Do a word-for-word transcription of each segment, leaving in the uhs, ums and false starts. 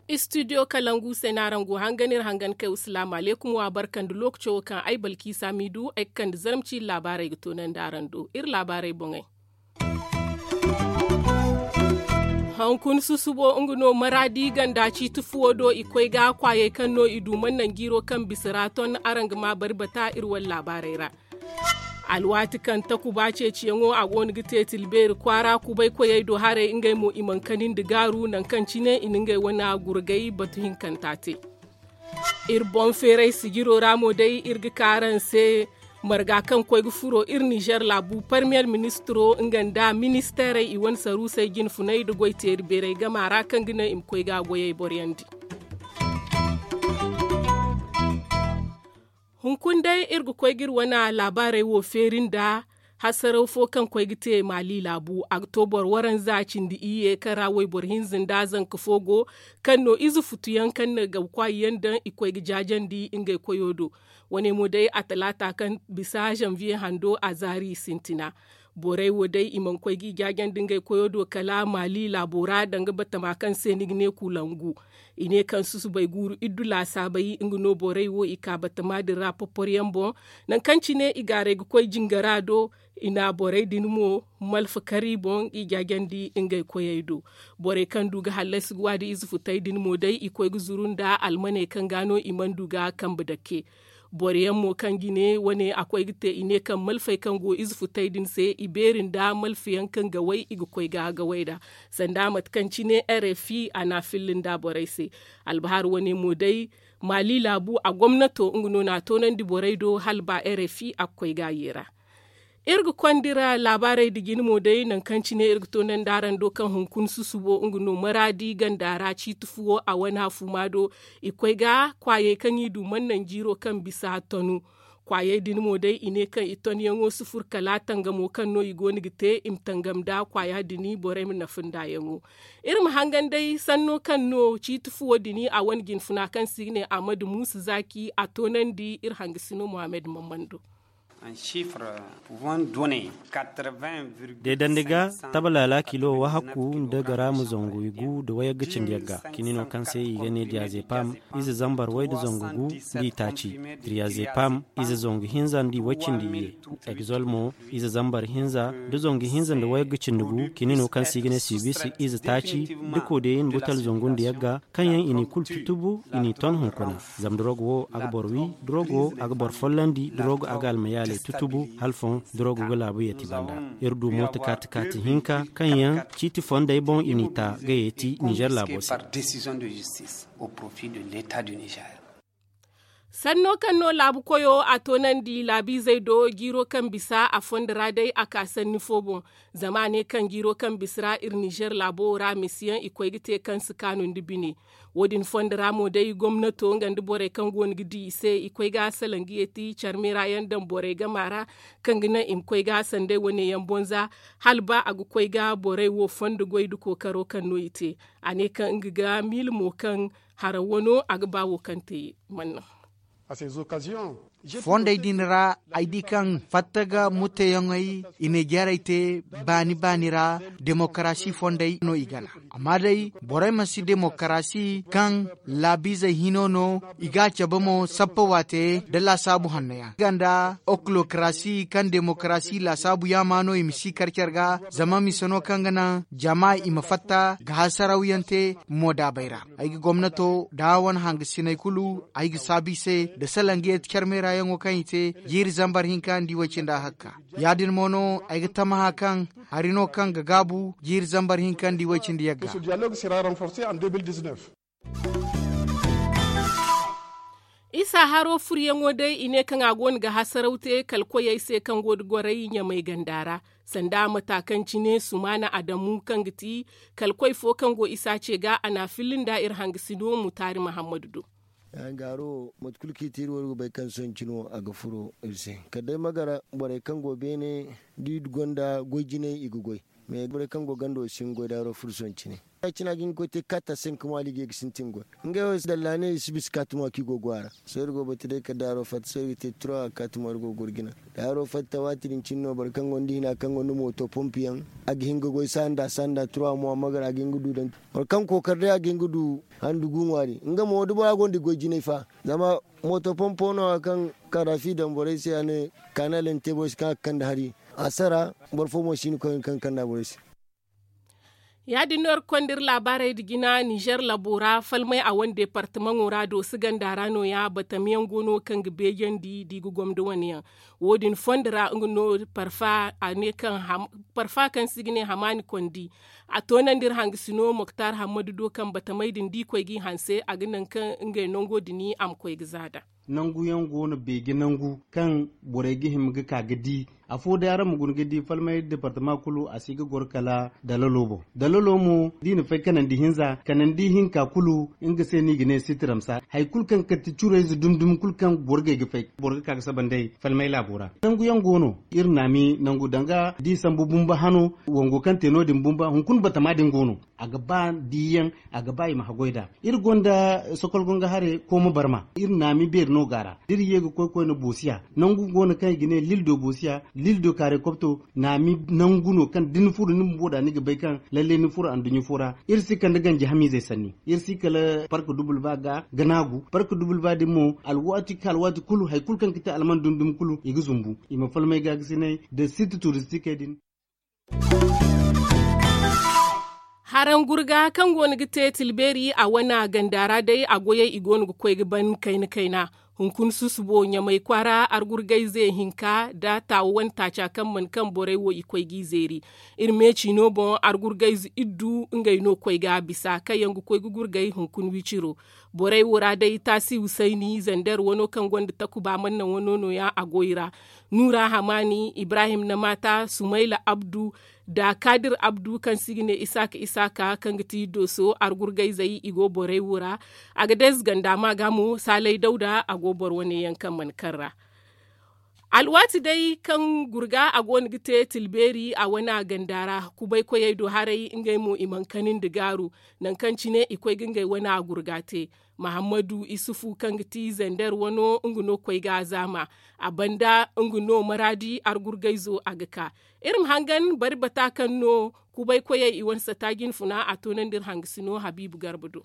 Istidiyo kalangu se no araŋ go hangan iri hangan kay wa salaamu alaykum wa barka nda lookaco wo kaŋ ay balkiisa m'i du ay ga kande zarma ciiri laabaarey ga toonandi araŋ do iri laabaarey boŋey. Hunkuna susubo nga no maraadi ganda ciiti fuwo do i koy ga kwaayey kaŋ no i du mana naŋ jiiro kaŋ bisa ra ton araŋ ga ma bari bata iri wane laabaarey ra. Alwaati kaŋ takuba ceeciyaŋo a go no ga te tilbeeri kwaara kubay koyey do haray ngey mo i mana kanindi gaaru nangu kaŋ cine i na ngey wane gurgay batu hinkanta te. Iri boŋ feeray sijiro ra mo day iri ga ka araŋ se marga kaŋ koy ga furo iri nizer laabu parmiyer ministiro nga nda ministeerey i wane saruusey jinfunay nda goy teeri beeray gama ra kaŋ ga naŋ i ma koy ga a goyey boroyandi. Hunkuna day iri ga koy ga iri wane laabaarey wo feeri nda hasaraw fo kaŋ koy ga te maali laabu a ga to boro waranza cindi iyye kaŋ ra wayboro hinza nda zanka fo go kaŋ no ize futu yaŋ kaŋ na gabu kwaayi yaŋ daŋ i koy ga jaajandi ngey koyo do. Wane mo day a talaata kaŋ bisa zanviye hando a zaari i sintina. Borey wo day i mana koy ga i jaajandi ngey koyo do kala maali laabo ra danga batama kaŋ se ni ga ne kulangu. I ne kaŋ susubay guuru iddu laasaabay nga no borey wo i ka batama din ra porpor yaŋ boŋ. Nangu kaŋ cine i gaaray ga koy jingara do i na borey din mo malfa kar i boŋ i jaajandi ngey koyey do. Borey kaŋ du ga hallasi ga waadi ize futay din mo day i koy ga zuru nda almaney kaŋ ga no i mana du ga kambe dake. Boro yaŋ mo kaŋ jine wane a koy ga te i ne kaŋ malfey kaŋ go ize futay din se i beeri nda malfa yaŋ kaŋ gaway i ga koy ga gaway nd'a. Sanda mate kaŋ cine rfi a na a filla nda borey se. Albahar wane mo day maali laabu a gomnato nga no na a toonandi borey do hala ba rfi a ga koy ga a yeera. Iri ga konda iri laabaarey nda jine mo day nangu kaŋ cine iri ga toonandi araŋ do kaŋ hunkuna susubo nga no maraadi ganda ra ciiti fuwo a wane hafuuma do. I koy ga kwaayey kaŋ i du mana naŋ jiiro kaŋ bisa tonu. Kwaayey din mo day i ne kaŋ i tonyaŋo si fur kala tangamo kaŋ no i go no ga te i ma tangam nda kwaaya din borey ma nafa nd'a yaŋo. Iri ma hangan day sanno kaŋ no ciiti fuwo din a wane jinfuna kaŋ se i ga ne ahmadu muusa zaaki a toonandi iri hangasino muhammad mammando. Deedandi ga tabalaala kilo wahakku nda garaama zangu igu nda wayagga cindi yagga cini no kaŋ se i ga ne diyazepam ize zambar way nda zangu gu nda i taaci. Diyazepam ize zangu hinza nda i way cindi iyye. Egzol mo ize zambar hinza nda zangu hinza nda wayagga cindi gu cini no kaŋ se i ga ne sibisi ize taaci. Da kodeyin butal zangu nda yagga kaŋ yaŋ i n'i kulu tutubu i n'i ton hunkuna. Zama durog wo a ga boro wi durog wo a ga boro follandi durog a ga almayaaley tutubu. Hala foŋ durog ga laabu yeeti banda. Iri du mooto kaati kaati hinka kaŋ yaŋ ciiti fondey boŋ i n'i ta ga yeeti nizer laabo se. Sanno kaŋ no laabu koyo a toonandi laabiizey do jiiro kaŋ bisa a fondo ra day a ka sanni fo boŋ. Zama a ne kaŋ jiiro kaŋ bisa ra iri nizer laabo wo ra misiyaŋ i koy ga te kaŋ si kaanu nda bine. Wo- din fondo ra mo day gomnato nga nda borey kaŋ go no ga di i se i koy ga salaŋ ga yeeti care meera yaŋ daŋ borey game ra kaŋ ga naŋ i ma koy ga sanday wane yaŋ bonza. Hala ba a ga koy ga borey wo fondo goy nda kookaro kaŋ no i te. A ne kaŋ nga ga miila mo kaŋ haraŋ wano a ga ba wo kaŋ te manna. Fondey din ra ay di kaŋ fatta ga mutteyaŋey i na jarey te baani baani ra. Demokarasi fondey no i gana amma day borey mansi demokarasi kaŋ laabiizey hino no. I ga a cabe mo sappa waate nda laasaabu hanno yaŋ nga nda oklokarasi kaŋ demokarasi laasaabu yaama no i ma si kar care ga zama mise no kaŋ ga naŋ jama i ma fatta ga hasaraw yaŋ te. Moodaabey ra ay ga gomnato da wane hangasiney kulu ay ga saabu i se nda salaŋ ga yeeti care meera yaŋo kaŋ i te jiiri zambar hinka nda i way cindi ahakka. Ya- din mo no ay ga tamaha kaŋ hari no kaŋ ga gaabu jiiri zambar hinka nda i way cindi yagga. Isa haro furyaŋo day i ne kaŋ a go no ga hasaraw te kala koyey se kaŋ go da goray ɲamay ganda ra. Sanda mata kaŋ cine sumaana adamu kaŋ ga ti kala koy fo kaŋ go isa ce ga a na a filla nda iri hangasino mutaari mahammadu do. Hangaro mate kulu kaŋ i te iri wo iri ga bay kaŋ sohõ cine wo a ga furo iri se kala day magara borey kaŋ go beene da i gonda goy jinay i ga goy. Mais borey kaŋ go gando wo si hin goy daaro furson cine. Ya- cine a ga hin ga koy te katta se nka mo a liige ga sintin goy. Ngey wo dalla ne i si bisa kaata mo a kaŋ i go go a ra. Sohõ iri go batu day kala daaro fatta sohõ iri ga te turawa kaata mo iri go ga goro jina. Daaro fatta waati din cine no boro kaŋ gonda hina kaŋ gonda mooto pompi yaŋ, a ga hin ga goy sanda sanda turawa mo a magara a ga hin ga du daŋ. Boro kaŋ kookari day a ga hin ga du handu gu ŋwaari nga mo da bora gonda goy jinay fa. Zama mooto pompo no- ya kaŋ kaarafi daŋ borey se a ne kaanal yaŋ te borey se kaŋ a ga kande hari. A sara boro fo mo si hin ga koy kaŋ ga kande a borey se. Ya- din no iri ga konda iri laabaarey nda jina ninzeer labo ra falmay a wane deepartamaŋo ra dooso ganda ra no- ya batam yaŋ go no kaŋ ga beejandi da i ga gomda wane yaŋ. Wo- din fondo ra nga no parfa a ne kaŋ parfa kaŋ se i ga ne hamaani kondi. A toonandi iri hangasino moktar hammadu do kaŋ batamey din da i koy ga i hanse a ga naŋ kaŋ ngey nango din a ma koy ga za daŋ. Nangu yaŋ go no beeje nangu kaŋ borey ga hima ga ka ga di. Afo day araŋ ma guna ga di falmay departama kulu a si ga goro kala dalalo boŋ. Dalalo mo da i na fay kanandi hinza kanandi hinka kulu nga se no i ga ne sitiramsa hari kulu kaŋ ga kati curayze dumi dumi kulu kaŋ borgey ga fay boro ga ka ga saba nd'ey falmay laabo ra. Nangu yaŋ go no iri naami nangu danga da i sambu bumba hano wango kaŋ te no- din bumba hunkuna batama din go no. A ga ba diiyaŋ a ga ba i ma haggoy nd'a. Iri gonda sokol gonga hare kooma barma iri naami beeri no go a ra da iri ye ga koy koyne boosiya nangu go no kaŋ i ga ne lildo boosiya lildo kaare kopto. Naami nangu no kaŋ da ni furo ni bumbo nd'a ni ga bay kaŋ lalle ni furo anduɲɲa fo ra. Iri si kande ganji hamiizey sanni iri si kala park dubul ba ga ga naagu park dubul ba din mo alwaati ka alwaati kulu hari kulu kaŋ ga te alman dumi dumi kulu i ga zumbu i ma falmay gaagasinay nda siiti turistikey din. Haraŋ gurga kaŋ go no ga te tilbeeri a wane ganda ra day a goyey i go no ga koy ga ban kayna kayna. Hunkuna susubo ɲamay kwaara argurgayze hinka nda taawa wane taaca kaŋ mana kaŋ borey wo i koy g'i zeeri. Iri meeci no boŋ argurgayze iddu ngey no koy ga bisa kaŋ yaŋ ga koy ga gurgay hunkuna wiciro. Borey wo ra day taasi husayni zander wano kaŋ gonda takuba manna wano no- ya a go i ra. Nuura hamaani ibrahim na maata sumayla abdu nda kaadir abdu kaŋ se i ga ne isaaka isaaka kaŋ ga ti dooso argurgayzey i go borey wo ra. A ga dayze ganda ma ga mo saalay dawda a go boro wane yaŋ kaŋ mana kaŋ ra. Alwaati day kaŋ gurga a go no ga te tilbeeri a wane ganda ra. Kubaykoyey do haray ngey mo i mana kani nda gaaru. Nangu kaŋ cine i koy ga ngey wane gurga te. Mahammadu isufu kaŋ ga ti zander wano nga no koy ga a zaama. A banda nga no maraadi argurgayzo a ga ka. Iri ma hangan bari bata kaŋ no kubaykoyey i wane sata jinfuna a toonandi iri hangasino habiibu garba do.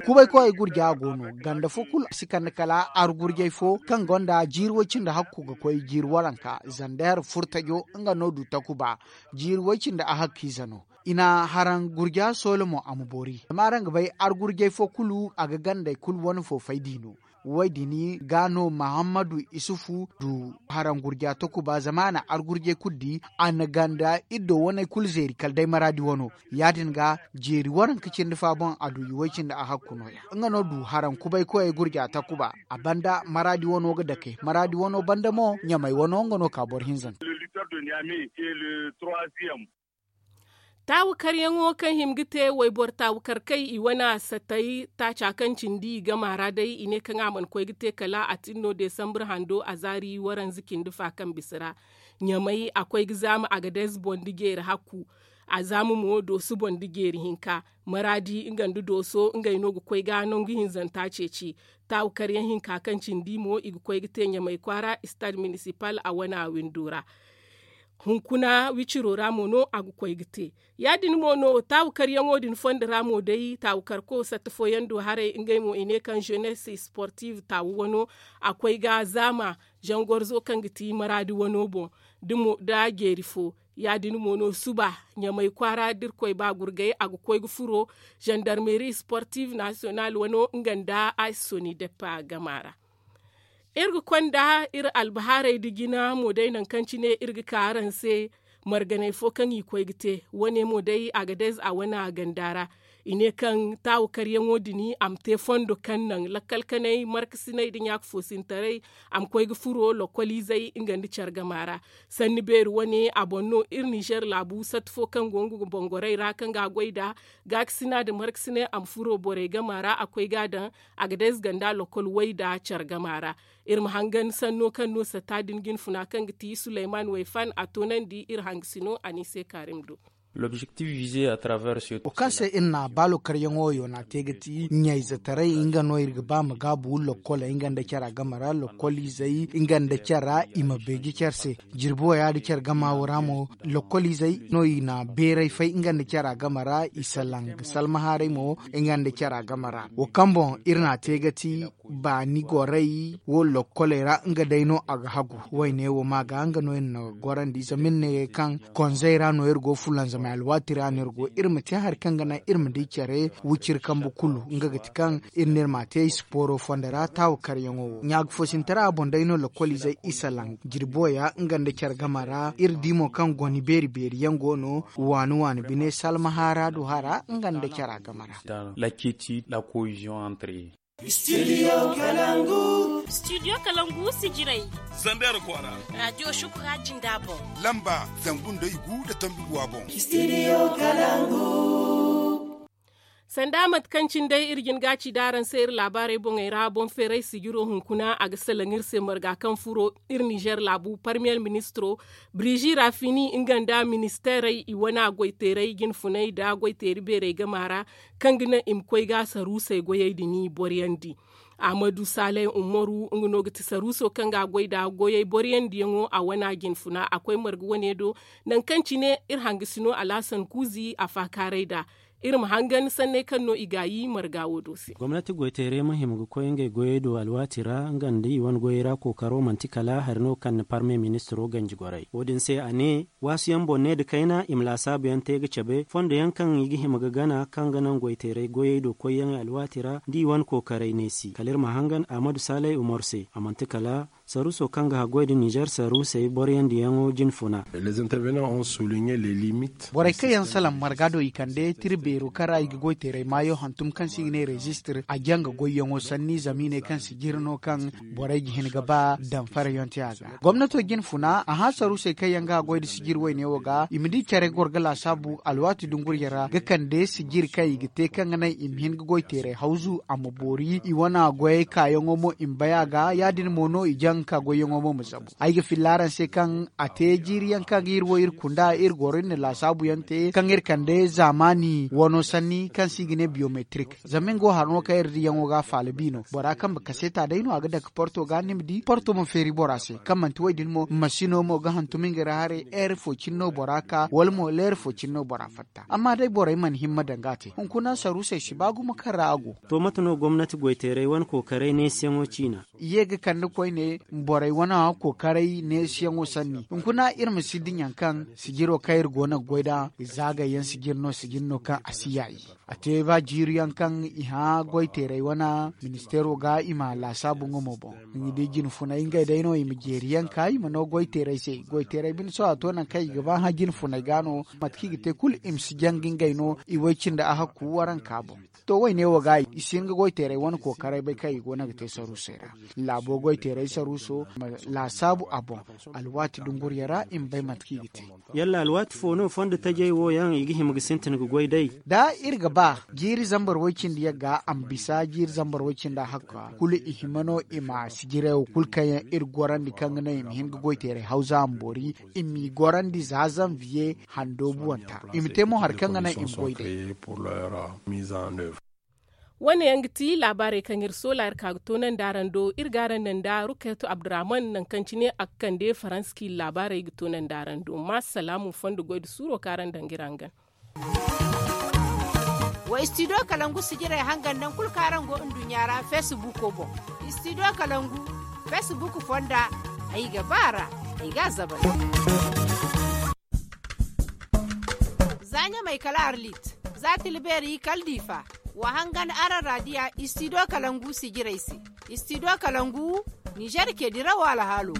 Kubaykoyey gurja go no ganda fo kulu si kande kala argurjay fo kaŋ gonda jiiri way cindi hakku ga koy jiiri waranka zander furtajo nga no du takuba. Jiiri way cindi a hakkiize no. I na haraŋ gurja soolo mo a ma boori zama araŋ ga bay argurjay fo kulu a ga gandey kulu wane fo fay d'i no. Way din ga no mahammadu isufu du haraŋ gurja takuba zama a na argurjay kulu di. A na ganda iddo waney kulu zeeri kala day maraadi wano. Ya- din ga jeeri waranka cindi fa boŋ a du i way cindi a hakku no- ya nga no du haraŋ kubaykoyey gurja takuba. A banda maraadi wano ga dake maraadi wano banda mo ɲamay wano nga no ka boro hinzanta. Taawukaryaŋo kaŋ hima ga te wayboro taawukarkey i wane satay taaca kaŋ cindi i gama ra day i ne kaŋ a mana koy ga te kala a tin no desambur hando a zaari waranza cindi fa kaŋ bisa ra. Ɲamay a koy ga zaama a ga dayze boŋ da jeeri hakku. A zaama mo dooso boŋ da jeeri hinka. Maraadi nga nda dooso ngey no ga koy ga nangu hinzanta ceeci. Taawukaryaŋ hinka kaŋ cindi mo i ga koy ga te ɲamay kwaara istad minisipal a wane windo ra. Hunkuna wiciro ra mo no a ga koy ga te. Ya- din mo no taawukaryaŋo din fondo ra mo day taawukarko satta fooyaŋ do haray ngey mo i ne kaŋ jeunesse sportive taawu wano. A koy ga zaama zangorzo kaŋ ga ti maraadi wano boŋ da jeeri fo. Ya- din mo no suba ɲamay kwaara da iri koy ba gurgay a ga koy ga furo zandarmeri sportive nasiyonal wano nga nda a soni deppa gama ra. Iri ga konda iri albahaarey nda jina mo day nangu kaŋ cine iri ga ka araŋ se. Marganey fo kaŋ i koy ga te wane mo day a ga dayze a wane a ganda ra. I ne kaŋ taawu karyaŋo din a ma te fondo kaŋ naŋ lakkal kanay markasinay nda ɲaaka foosintaray a ma koy ga furo lokkoliizey nga nda care gama ra. Sanni beeri wane a boŋ no iri ninzeer laabu satta fo kaŋ go nga bongorey ra kaŋ ga a goy nd'a gaakasina nda markasinay a ma furo borey gama ra a koy ga a daŋ a ga day zganda lokkol way nda care gama ra. Iri ma hangan sanno kaŋ no satta din jinfuna kaŋ ga ti suleyman wayfan a toonandi iri hangasino a n'i se kaarim do. Wo kaŋ se iri na baalo karyaŋo wo yo na te ga ti ɲayzetaray nga no iri ga ba ma gaabu lokkoley nga nda cara game ra lokkoliizey nga nda cara i ma beeji care se. Jirbi wo ya da care gama wo ra mo lokkoliizey no i na beeray fay nga nda cara game ra i salaŋ ga salmahaaray mo nga nda cara game ra wo kaŋ boŋ iri na te ga ti baani gorey wo lokkoley ra nga day no a ga hagu. Wayne wo ma ga nga no iri na gorandi zama iri ne kaŋ konzey ra no iri go fulanzamay alwaati ra no iri go iri ma te hari kaŋ ga naŋ iri ma di care wiciri kambe kulu nga ga ti kaŋ iri ne iri ma te ay sipooro fondo ra taawu karyaŋo wo ɲaagafosintara boŋ day no lokkoliizey isa laŋ jirbo ya nga nda care game ra iri di mo kaŋ goni beeri beeri yaŋ go no waani waani bine salmahaara du hara nga nda cara game ra. Lacciti la koyiziyoŋ antre. Studio kalangu sijirey. Zander kwara. Radio shukura jinda boŋ. Lamba zangu nda igu nda tambi guwa boŋ. Sanda mate kaŋ cine day iri jin ga ci da araŋ se iri laabaarey boŋey ra boŋ feeray sijiro hunkuna a ga salaŋ iri se marga kaŋ furo iri nizer laabu parmiyer ministiro birizi rafini nga nda ministeerey i wane goyteeray jinfunay nda goyteeri beerey gama ra kaŋ ga naŋ i ma koy ga saruusey goyey din boriyandi. Ahmadu saleh umaru nga no ga ti saruuso kaŋ ga a goy nd'a goyey boriyandiyaŋo a wana jinfuna a koy marga wane do. Nangu kaŋ cine iri hangasino alhasan kuuzi a faakaaray nd'a. Iri ma hangan sanney kaŋ no i gaayi marga wo do se. Gomnati goyteerey ma hima ga koy ngey goyey do alwaati ra nga nda i wane goyey ra kookaro manti kala hari no kaŋ na parme ministiro ganji goray wo- din se a ne, waasuyaŋ boŋ ne nda kayna i ma laasaabuyaŋ te ga cabe fondo yaŋ kaŋ i ga hima ga gana kaŋ ga naŋ goyteeray goyey do koyyaŋey alwaati ra nda i wane kookaray neesi kala iri ma hangan ahmadu saalay umar se a manti kala saruuso kaŋ ga haggoy nda nizer saruusey boroyandiyaŋo jinfuna. Borey kaŋ yaŋ salaŋ marga do i kande tira beero kaŋ ra i ga goyteeray maayo hantum kaŋ se i ga ne rezistir a janga goyyaŋo sanni zama i ne kaŋ sijiri no kaŋ borey ga hin ga ba damfarayaŋ te a ga. Gomnato jinfuna a hã saruusey kaŋ yaŋ ga a goy nda sijiri wayne wo ga i ma di care goro ga laasaabu alwaati dunguriyaŋ ra ga kande sijiri kaŋ i ga te kaŋ ga naŋ i ma hin ga goyteeray hawzu a ma boori i wane goyey kaayaŋo mo i ma bay a ga ya- din mo no i jaŋ ga ka goyyaŋo mo ma zabu ay ga filla araŋ se kaŋ a te jiiri yaŋ kaŋ ga iri wo iri kunda iri goro iri na laasaabu yaŋ te kaŋ iri kande zaamaani wano sanni kaŋ se i ga ne biyometrik. Zama nga wo haro no kaŋ iri diyaŋo ga a faala bi no bora kambe kaseeta day no a ga dake porto ga ni ma di porto ma feeri bora se kaŋ manti wo- din mo masino mo ga hantum nga ra haray heeri fo cine no bora ka wala mo leeri fo cine no bora fatta amma day borey mana himma danga a te hunkuna saruusey si ba gumo kaŋ ra a go. To mate no gomnati goyteeray wane kookaray neesiyaŋo ciina? I ye ga kande koyne borey wane kookaray neesiyaŋo sanni hunkuna iri ma si diɲaŋ kaŋ sijiro kaŋ iri go no ga goy nd'a zaagayyaŋ sijiri no sijiri no kaŋ a si yaayi. A te ba jiiri yaŋ kaŋ i hã goyteeray wane ministeero ga i ma laasaabu nga mo boŋ. Ni di jinfunay ngey day no i ma jeeri yaŋ ka i ma no goyteeray se goyteeray bine sohõ a to nangu kaŋ i ga ba hã jinfunay ga no mate kaŋ i ga te kulu i ma si janga ngey no i way cindi a hakku waranka boŋ. To wayne wo ga i si hin ga goyteeray wane kookaray bay kaŋ i go no ga te saruusey ra. Laabo goyteeray saruuso ma laasaabu a boŋ alwaati dunguriyaŋ ra i ma bay mate kaŋ i ga te. Yalla alwaati fo no fondo tajey wo yaŋ i ga hima ga sintin ga goy day? Da iri ga ba jiiri zambar way-cindi yaŋ ga a ma bisa jiiri zambar way-cindi a hakka kulu i hima no i ma sijirey wo kulu kaŋ yaŋ iri gorandi kaŋ ga naŋ i ma hin ga goyteeray hawza a ma boori i m'i gorandi za zanviye hando buwanta i ma te mo hari kaŋ ga naŋ i ma goy day. Wane yaŋ ga ti laabaarey kaŋ iri soola iri ka ga toonandi araŋ do iri ga araŋ naŋ nda rukayetu abdurrahman nangu kaŋ cine a ga kande faransa kaŋ iri laabaarey ga toonandi araŋ do ma salaamu fondo goy nda suuro kaŋ araŋ daŋ ga iri hangan. Wa istidiyo kalangu sijirey hangan nangu kulu kaŋ araŋ go nduɲɲa ra feesibuuko boŋ. Istidiyo kalangu feesibuuku fonda ay ga ba a ra ay ga a zabal. Za ɲamay kala arlit za tilbeeri kala diifa. Wa hangan araŋ raadiya istidiyo kalangu sijirey se. Istidiyo kalangu nizer ke dirawo alhaalo.